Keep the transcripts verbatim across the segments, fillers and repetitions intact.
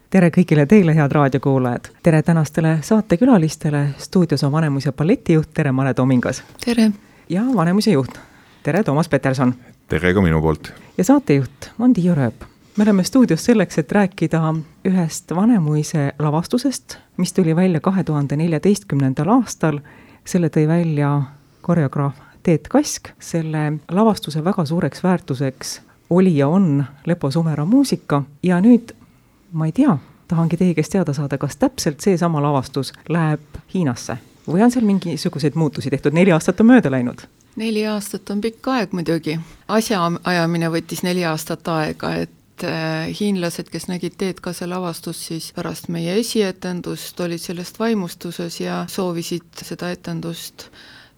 tere kõigile teile, head raadiokuulajad. Tere tänastele saatekülalistele. Stuudios on Vanemuise balletijuht, tere Mare Tomingas. Tere. Ja Vanemuise juht, tere Toomas Peterson. Tere ka minu poolt. Ja saatejuht on Tiiu Rööp. Me oleme stuudios selleks, et rääkida ühest Vanemuise lavastusest, mis tuli välja kahe tuhande neljateistkümnendal aastal. Selle tõi välja koreograaf Teet Kask. Selle lavastuse väga suureks väärtuseks oli ja on Lepo Sumera muusika. Ja nüüd, ma ei tea, tahangi teie käest teada saada, kas täpselt see sama lavastus läheb Hiinasse? Või on seal mingisuguseid muutusi tehtud? Neli aastat on mööda läinud. Neli aastat on pikk aeg muidugi. Asjaajamine võttis neli aastat aega, et hiinlased, kes nägid Teet Kase lavastust, siis pärast meie esietendust olid sellest vaimustuses ja soovisid seda etendust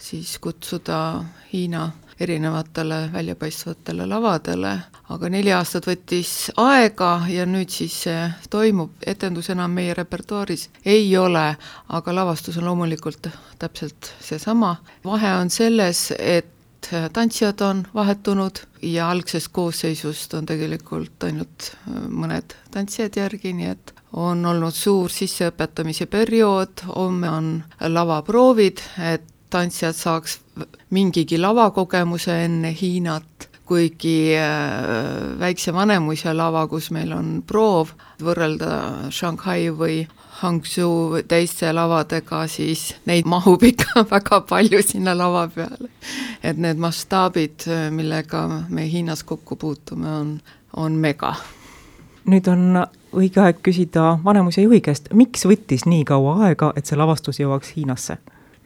siis kutsuda Hiina erinevatele väljapaistvatele lavadele. Aga neli aastat võttis aega ja nüüd siis see toimub. Etendus enam meie repertuaaris ei ole, aga lavastus on loomulikult täpselt seesama. Vahe on selles, et tantsijad on vahetunud ja algsest koosseisust on tegelikult ainult mõned tantsijad järgi, nii et on olnud suur sisseõpetamise periood, homme on lavaproovid, et tantsijad saaks mingigi lavakogemuse enne Hiinat, kuigi väikse Vanemuise lava, kus meil on proov võrrelda Shanghai või Hangzhou teiste lavadega, siis neid mahub ikka väga palju sinna lava peale. Et need mastaabid, millega me Hiinas kokku puutume, on, on mega. Nüüd on õige aeg küsida Vanemuise juhi käest, miks võttis nii kaua aega, et see lavastus jõuaks Hiinasse?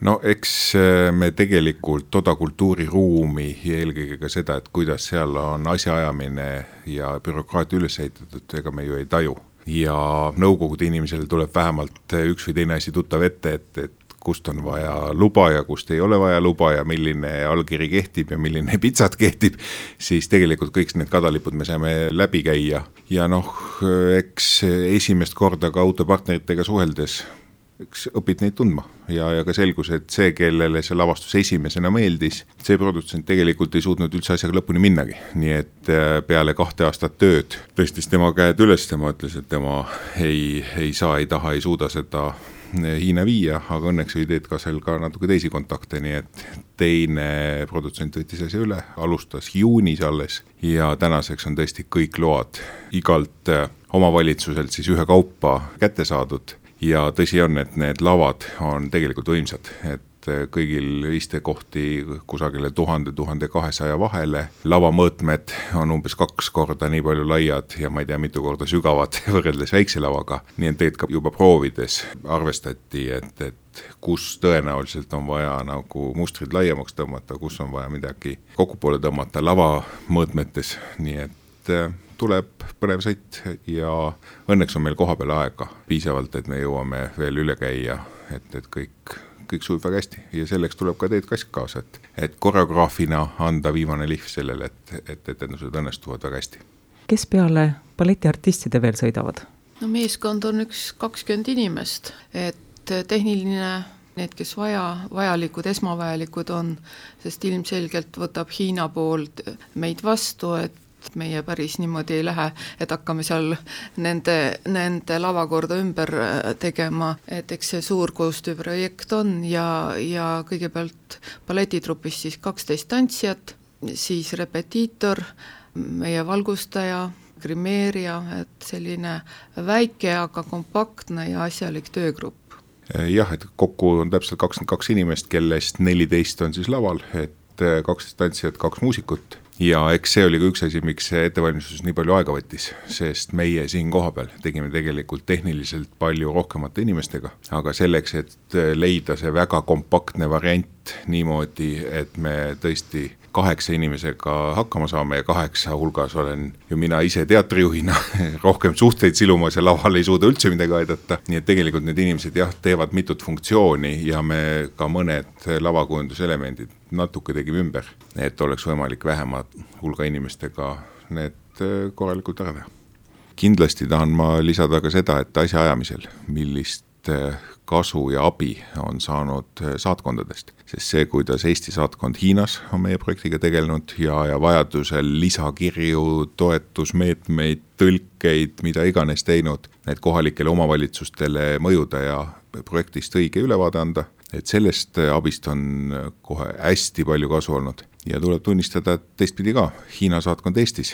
No eks me tegelikult toda kultuuriruumi ja eelkõige ka seda, et kuidas seal on asjaajamine ja bürokraatia üles ehitatud, ega me ju ei taju. Ja nõukogude inimesel tuleb vähemalt üks või teine asi tuttav ette, et, et kust on vaja luba ja kust ei ole vaja luba ja milline allkiri kehtib ja milline pitsat kehtib, siis tegelikult kõik need kadalipud me saame läbi käia. Ja noh, eks esimest korda ka autopartneritega suheldes eks õpid neid tundma ja, ja ka selgus, et see, kellele see lavastus esimesena meeldis, see produtsent tegelikult ei suutnud üldse asjaga lõpuni minnagi. Nii et peale kahte aastat tööd tõstis tema käed üles, tema ütles, et tema ei, ei saa, ei taha, ei suuda seda Hiina viia, aga õnneks oli Teet Kasel ka natuke teisi kontakte, nii et teine produtsent võttis asja üle, alustas juunis alles ja tänaseks on tõesti kõik load igalt omavalitsuselt siis ühe kaupa kätte saadud. Ja tõsi on, et need lavad on tegelikult võimsad, et kõigil istekohti kusagile tuhande, tuhande kahesaja vahele. Lavamõõtmed on umbes kaks korda nii palju laiad ja ma ei tea, mitu korda sügavad võrreldes väikse lavaga. Nii et teed ka juba proovides arvestati, et, et kus tõenäoliselt on vaja nagu mustrid laiemaks tõmmata, kus on vaja midagi kokkupoole tõmmata lavamõõtmetes, nii et tuleb põnev sõit ja õnneks on meil koha peale aega piisavalt, et me jõuame veel üle käia, et, et kõik, kõik sujub väga hästi ja selleks tuleb ka Teet Kask kaasa, et, et koreograafina anda viimane lihv sellele, et, et etendused õnnestuvad väga hästi. Kes peale balletiartistide veel sõidavad? No meeskond on üks kakskümmend inimest, et tehniline need, kes vaja, vajalikud, esmavajalikud on, sest ilmselgelt võtab Hiina poolt meid vastu, et meie päris niimoodi ei lähe, et hakkame seal nende, nende lavakorda ümber tegema, et eks see suur koostööprojekt on ja, ja kõigepealt balletitrupis siis kaksteist tantsijat, siis repetiitor, meie valgustaja, grimeerija, et selline väike, aga kompaktne ja asjalik töögrupp. Jah, et kokku on täpselt kakskümmend kaks inimest, kellest neliteist on siis laval, et kaksteist tantsijat, kaks muusikut. Ja eks see oli ka üks asi, miks see ettevalmistus nii palju aega võttis, sest meie siin koha peal tegime tegelikult tehniliselt palju rohkemate inimestega, aga selleks, et leida see väga kompaktne variant niimoodi, et me tõesti kaheksa inimesega hakkama saame ja kaheksa hulgas olen ju mina ise teatrijuhina rohkem suhteid silumas ja laval ei suuda üldse midagi aidata, nii et tegelikult need inimesed jah, teevad mitut funktsiooni ja me ka mõned lavakujunduselemendid natuke tegime ümber, et oleks võimalik vähema hulga inimestega need korralikult ära teha. Kindlasti tahan ma lisada ka seda, et asja ajamisel, millist kasu ja abi on saanud saatkondadest, sest see, kuidas Eesti saatkond Hiinas on meie projektiga tegelenud ja, ja vajadusel lisakirju, toetusmeetmeid, tõlkeid, mida iganes teinud, need kohalikele omavalitsustele mõjuda ja projektist õige ülevaade anda, et sellest abist on kohe hästi palju kasu olnud. Ja tuleb tunnistada, et teistpidi ka, Hiina saatkond Eestis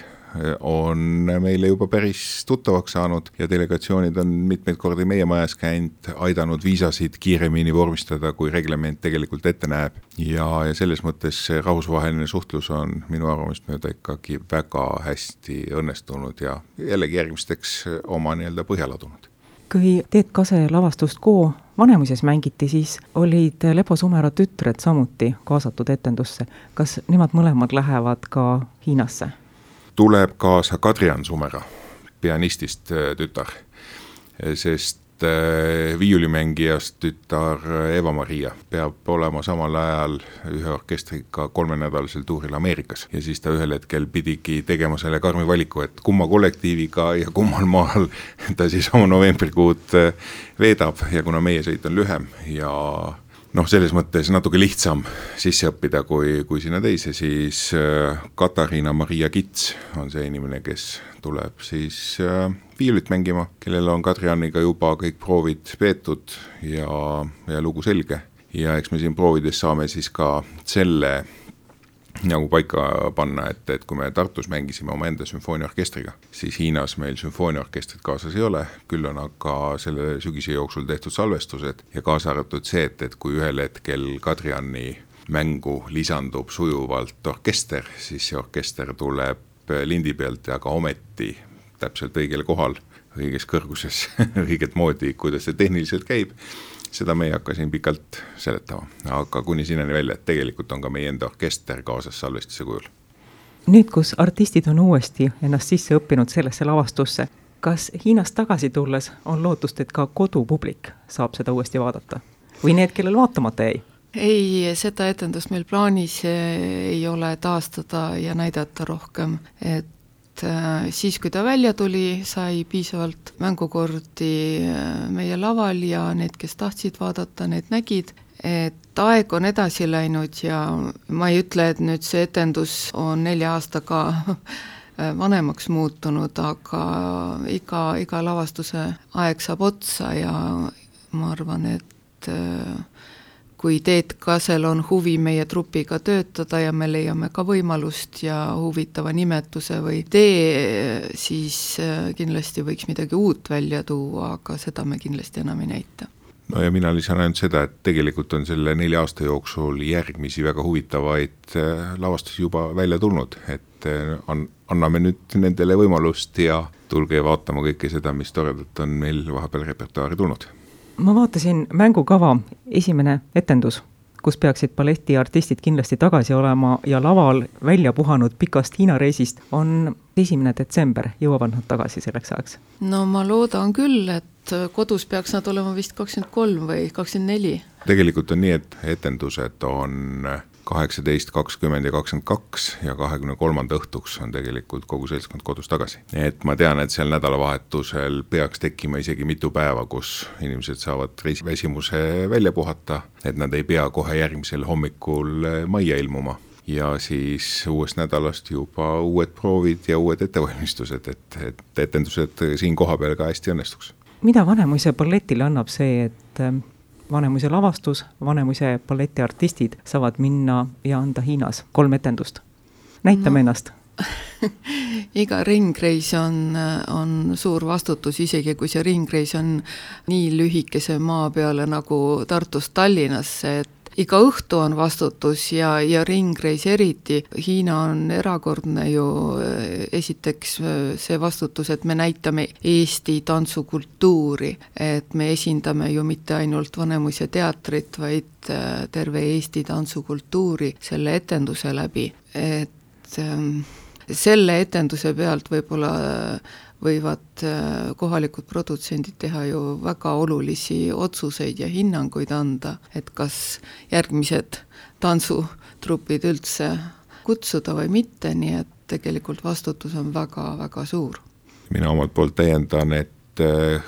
on meile juba päris tuttavaks saanud ja delegatsioonid on mitmeid kordi meie majas käinud, aidanud viisasid kiiremini vormistada, kui reglement tegelikult ette näeb. Ja, ja selles mõttes see rahvusvaheline suhtlus on minu arvamust mööda ikkagi väga hästi õnnestunud ja jällegi järgmisteks oma nii-öelda põhjaladunud. Kui Teet Kase lavastust Koo Vanemuises mängiti, siis olid Lepo Sumera tütred samuti kaasatud etendusse. Kas nemad mõlemad lähevad ka Hiinasse? Tuleb kaasa Kadrian Sumera, pianistist tütar, sest viiulimängijast tütar Eva-Maria peab olema samal ajal ühe orkestriga kolmenädalasel tuuril Ameerikas ja siis ta ühel hetkel pidigi tegema selle karmi valiku, et kumma kollektiiviga ja kummal maal ta siis oma novembrikuud veedab ja kuna meie sõit on lühem ja noh, selles mõttes natuke lihtsam sisse õppida kui, kui sinna teise, siis Katariina Maria Kits on see inimene, kes tuleb siis viiulit mängima, kellel on Kadrianiga juba kõik proovid peetud ja, ja lugu selge. Ja eks me siin proovides saame siis ka selle nagu paika panna, et, et kui me Tartus mängisime oma enda sümfooniaorkestriga, siis Hiinas meil sümfooniaorkestrit kaasas ei ole, küll on aga selle sügise jooksul tehtud salvestused ja kaasa arvatud see, et, et kui ühel hetkel Kadriani mängu lisandub sujuvalt orkester, siis see orkester tuleb lindi pealt ja ka ometi täpselt õigele kohal, õiges kõrguses, õiget moodi, kuidas see tehniliselt käib. Seda me ei hakka siin pikalt seletama, aga kuni sinnani välja, et tegelikult on ka meie enda orkester kaasas salvestise kujul. Nüüd, kus artistid on uuesti ennast sisse õppinud sellesse lavastusse, kas Hiinast tagasi tulles on lootust, et ka kodupublik saab seda uuesti vaadata? Või need, kellel vaatamata ei? Ei, seda etendust meil plaanis ei ole taastada ja näidata rohkem, et siis, kui ta välja tuli, sai piisavalt mängukordi meie laval ja need, kes tahtsid vaadata, need nägid, et aeg on edasi läinud ja ma ei ütle, et nüüd see etendus on nelja aastaga vanemaks muutunud, aga iga, iga lavastuse aeg saab otsa ja ma arvan, et kui Teet Kasel on huvi meie trupiga töötada ja me leiame ka võimalust ja huvitava nimetuse või tee, siis kindlasti võiks midagi uut välja tuua, aga seda me kindlasti enam ei näita. No ja mina lisan ainult seda, et tegelikult on selle nelja aasta jooksul järgmisi väga huvitavaid lavastusi juba välja tulnud, et on, anname nüüd nendele võimalust ja tulge vaatama kõike seda, mis toredalt on meil vahepeal repertuaari tulnud. Ma vaatasin mängukava esimene etendus, kus peaksid balletiartistid kindlasti tagasi olema ja laval välja puhanud pikast Hiina reisist, on esimene detsember, jõuavad nad tagasi selleks ajaks? No ma loodan küll, et kodus peaks nad olema vist kakskümmend kolm või kakskümmend neli. Tegelikult on nii, et etendused on kaheksateist, kakskümmend ja kakskümmend kaks ja kahekümne kolmanda õhtuks on tegelikult kogu seltskond kodus tagasi. Et ma tean, et seal nädalavahetusel peaks tekkima isegi mitu päeva, kus inimesed saavad reisiväsimuse välja puhata, et nad ei pea kohe järgmisel hommikul majja ilmuma. Ja siis uuest nädalast juba uued proovid ja uued ettevalmistused, et, et etendused siin koha peal ka hästi õnnestuks. Mida Vanemuise balletile annab see, et Vanemuise lavastus, Vanemuise balletiartistid saavad minna ja anda Hiinas kolm etendust? Näitame no. ennast. Iga ringreis on, on suur vastutus, isegi kui see ringreis on nii lühikese maa peale nagu Tartust Tallinnasse, et iga õhtu on vastutus ja, ja ringreis eriti. Hiina on erakordne ju esiteks see vastutus, et me näitame Eesti tantsukultuuri, et me esindame ju mitte ainult Vanemuise teatrit, vaid terve Eesti tantsukultuuri selle etenduse läbi. Et selle etenduse pealt võib-olla võivad kohalikud produtsendid teha ju väga olulisi otsuseid ja hinnanguid anda, et kas järgmised tantsutrupid üldse kutsuda või mitte, nii et tegelikult vastutus on väga-väga suur. Mina omalt poolt täiendan, et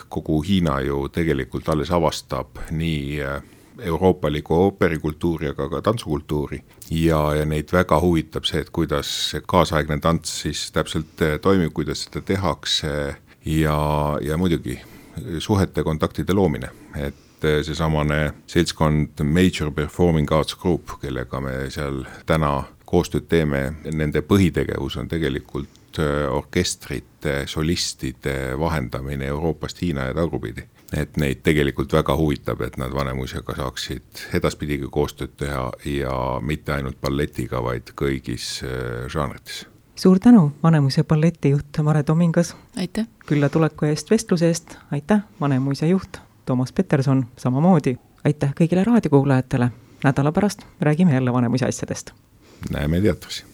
kogu Hiina ju tegelikult alles avastab nii euroopaliku ooperikultuuri, aga ka tantsukultuuri ja, ja neid väga huvitab see, et kuidas see kaasaegne tants siis täpselt toimib, kuidas seda tehakse ja, ja muidugi suhete kontaktide loomine, et seesamane seltskond Major Performing Arts Group, kellega me seal täna koostööd teeme, nende põhitegevus on tegelikult orkestrite, solistide vahendamine Euroopast Hiina ja tagurpidi. Et neid tegelikult väga huvitab, et nad Vanemuisega saaksid edaspidigi koostööd teha ja mitte ainult balletiga, vaid kõigis žanrites. Suur tänu, Vanemuise balletijuht Mare Tomingas. Aitäh! Külla tuleku eest vestluse eest. Aitäh, Vanemuise juht Toomas Peterson samamoodi. Aitäh kõigile raadiokuulajatele. Nädala pärast räägime jälle Vanemuise asjadest. Näeme teatris.